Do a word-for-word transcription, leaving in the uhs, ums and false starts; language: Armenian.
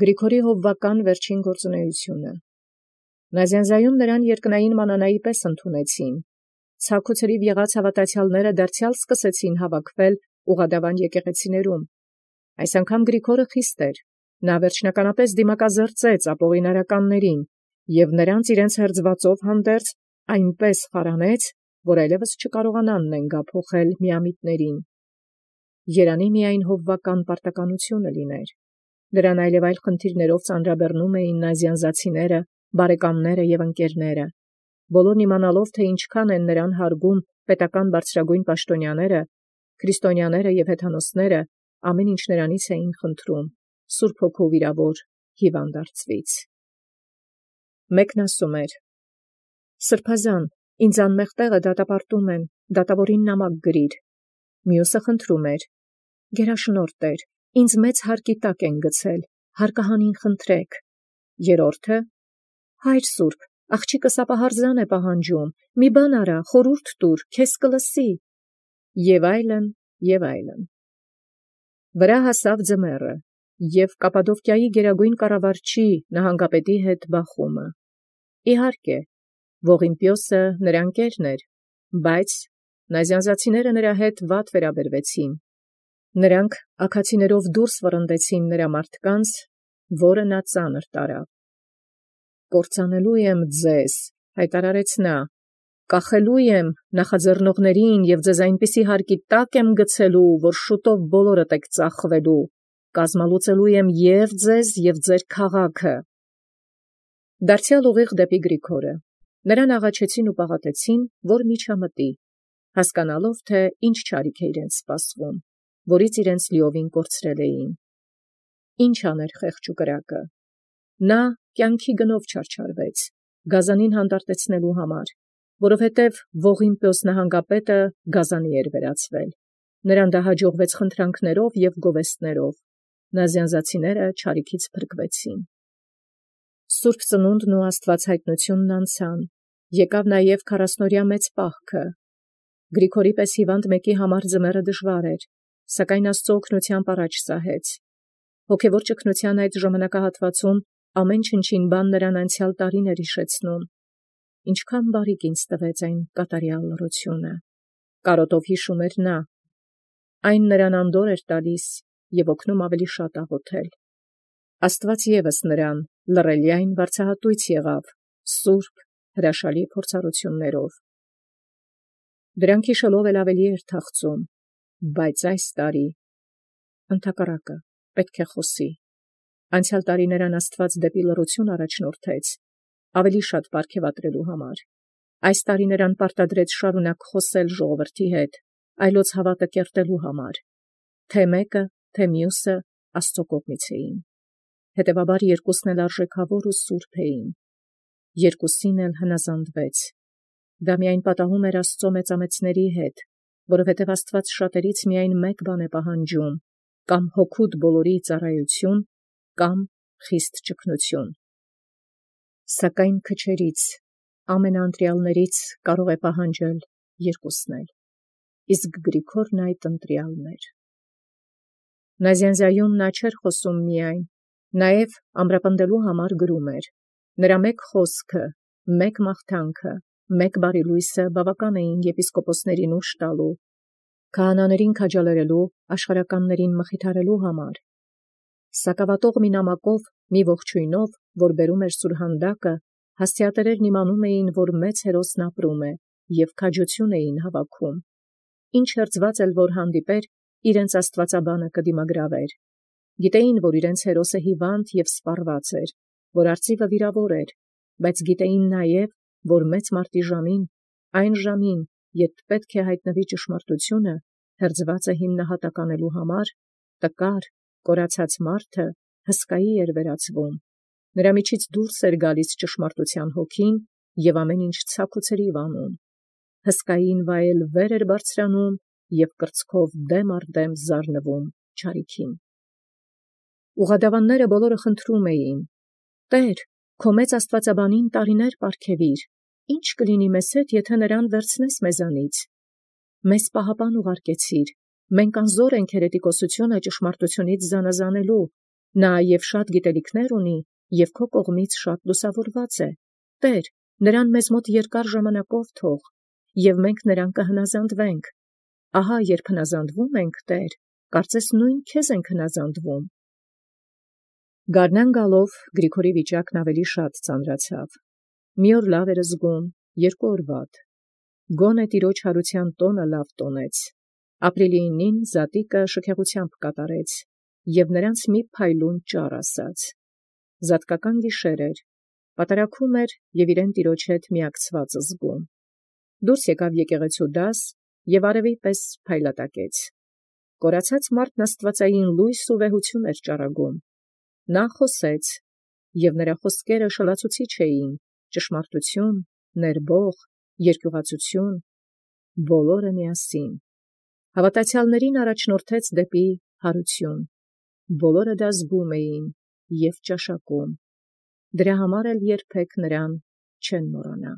Գրիգորի հովվական վերջին գործունեությունը։ Նազանձայում նրան երկնային մանանայի պես ընդունեցին։ Ցաք ու ցրիվ եղած հաւատացեալները դարձեալ սկսեցին հավաքվել ուղադավան եկեղեցիներում։ Այս անգամ Գրիգորը խիստ էր, նա վերջնականապես դիմակազրծեց ապօղինարականներին և նրանց իրենց հերձվածով հանդերձ այնպես խարանեց, որ այլևս չկարողանան նենգ ափոխել միամիտներին։ Երանի միայն հովվական պարտականությունը լիներ։ Նրան այլև այլ խնդիրներով ծանրաբեռնում էին նազյանզացիները, բարեկամները և ընկերները։ Բոլորն իմանալով, թե ինչքան են նրան հարգում պետական բարձրագույն պաշտոնյաները, քրիստոնյաները և հեթանոսները, ամեն ինչ նրանից էին խնդրում, Սուրբ Հոգու վիրավոր հիվանդարձվից։ Մեկն ասում էր. «Սրբազան, ինձ անմեղ տեղը դատապարտում են, դատավորին նամակ գրիր»։ Մյուսը խնդրում էր. «Գերաշնորհ Տեր, ինձ մեծ հարկի տակ են գցել, հարկահանին խնդրեք»։ Երրորդը. «Հայր սուրբ, աղջիկս ապահարզան է պահանջում, մի բան արա, խորհուրդ տուր, քեզ կլսի»։ Եւ այլն, եւ այլն։ Վրա հասավ ձմեռը, և Կապադովկիայի գերագույն կառավարչի նահանգապետի հետ բախումը։ Իհարկե, Ողիմպիոսը նրա ընկերն էր, բայց նազյանզացիները նրա հետ վատ վերաբերվեցին։ Նրանք աքացիներով դուրս վռնդեցին նրա մարդկանց, որը նա ծանր տարավ։ «Կործանելու եմ ձեզ», հայտարարեց նա, «կախելու եմ նախաձեռնողներին և ձեզ այնպիսի հարկի տակ եմ գցելու, որ շուտով բոլորդ եք ծախվելու, կազմալուծելու եմ և ձեզ և ձեր քաղաքը»։ Դարձեալ ուղիղ դեպի Գրիգորը։ Նրան աղաչեցին ու պաղատեցին, որ միջամտի, հասկանալով, թե ինչ չարիք է իրենց սպասվում, որից իրենց լիովին կորցրել էին։ Ինչ աներ խեղճ ու կրակը։ Նա կյանքի գնով չարչարվեց, գազանին հանդարտեցնելու համար, որովհետև Ողիմպիոս նահանգապետը գազանի էր վերածվել։ Նրան դա հաջողվեց խնդրանքներով և գովեստներով։ Նազյանզացիները չարիքից փրկվեցին։ Սուրբ ծնունդն ու աստվածհայտնությունն անցան, եկավ նաև քառասնօրյա մեծ պահքը։ Գրիգորի պես հիվանդ մեկի համար ձմեռը դժվար էր, սակայն Աստծո օգնությամբ առաջ սահեց։ Հոգևոր ճգնության այդ ժամանակահատվածում ամեն չնչին բան նրան անցյալ տարին էր հիշեցնում։ Ինչքան բարիք ինձ տվեց այն կատարյալ լռությունը, կարոտով հիշում էր նա։ Այն նրան անդորր էր տալիս և օգնում ավելի շատ աղոթել։ Աստված ևս նրան լռելյայն վարձահատույց եղավ սուրբ հրաշալի փորձառություններով։ Դրանք հիշելով էլ ավելի էր թախծում, բայց այս տարի ընդհակառակը պետք է խոսի։ Անցյալ տարի նրան Աստված դեպի լռություն առաջնորդեց, ավելի շատ պարգևատրելու համար։ Այս տարի նրան պարտադրեց շարունակ խոսել ժողովրդի հետ, այլոց հավատը կերտելու համար։ Թե մեկը, թե մյուսը Աստծո կողմից էին։ Հետևաբար երկուսն էլ արժեքավոր ու սուրբ էին։ Երկուսին էլ հնազանդվեց։ Դա միայն պատահում էր Աստծո մեծամեծների հետ, որովհետև Աստված շատերից միայն մեկ բան է պահանջում, կամ հոգուդ բոլորի ծառայություն, կամ խիստ ճգնություն։ Սակայն քչերից, ամենաընտրյալներից կարող է պահանջել երկուսն էլ, իսկ Գրիգորն այդ ընտրյալն էր։ Նազյանզայում նա չէր խոսում միայն, նաև ամրապնդելու համար գրում էր։ Նրա մեկ խոսքը, մեկ մաղթանքը, մեկ բարի լույսը բավական էին եպիսկոպոսներին ուժ տալու, քահանաներին քաջալերելու, աշխարհականներին մխիթարելու համար։ Սակավատող մի նամակով, մի ողջույնով, որ բերում էր սուրհանդակը, հասցեատերերն իմանում էին, որ մեծ հերոսն ապրում է, և քաջություն էին հավաքում։ Ինչ հերձված էլ որ հանդիպեր, իրենց աստվածաբանը կդիմագրավեր։ Գիտեին, որ իրենց հերոսը հիվանդ և սպառված էր, որ արծիվը վիրավոր էր, բայց գիտեին նաև, որ մեծ մարտի ժամին, այն ժամին, երբ պետք է հայտնվի ճշմարտությունը, հերձվածը հիմնահատակ անելու համար, տկար, կորացած մարդը հսկայի էր վերածվում։ Նրա միջից դուրս էր գալիս ճշմարտության հոգին և ամեն ինչ ցաք ու ցրիվ անում։ Հսկային վայել վեր էր բարձրանում և կրծքով դեմ առ դեմ զարնվում չարիքին։ Ուղադավանները բոլորը խնդրում էին. «Տեր, քո մեծ աստվածաբանին տարիներ պարգևիր, ի՞նչ կլինի մեզ հետ, եթե նրան վերցնես մեզանից։ Մեզ պահապան ուղարկեցիր, մենք անզոր ենք հերետիկոսությունը ճշմարտությունից զանազանելու, Նա և շատ գիտելիքներ ունի, և քո կողմից շատ լուսավորված է։ Տեր, նրան մեզ մոտ երկար ժամանակով թող, և մենք նրան կհնազանդվենք։ Ահա երբ հնազանդվում ենք, Տեր, կարծես նույն քեզ ենք հնազանդվում։ Գարնան գալով Գրիգորի վիճակն ավելի շատ ծանրացավ։ Մի օր լավ էր զգում, երկու օր վատ։ Գոնե տիրոջ հարության տոնը լավ տոնեց։ Ապրիլինին զատիկը շքեղությամբ կատարեց, և նրանց մի փայլուն ճառ ասաց։ Զատկական գիշեր էր, պատարագում էր և իրեն տիրոջ հետ միակցված զգում։ Դուրս եկավ եկեղեցու դաս և արևի պես փայլատակեց։ Կորացած մարդն աստվածային լույս ու վեհություն էր ճառագում։ Նա խոսեց, և նրա խոսքերը շլացուցիչ էին, ճշմարտություն, ներբող, երկյուղածություն, բոլորը միասին։ Հավատացյալներին առաջնորդեց դեպի հարություն։ Բոլորը դա զգում էին և ճաշակում։ Դրա համար էլ երբեք նրան չեն մոռանա։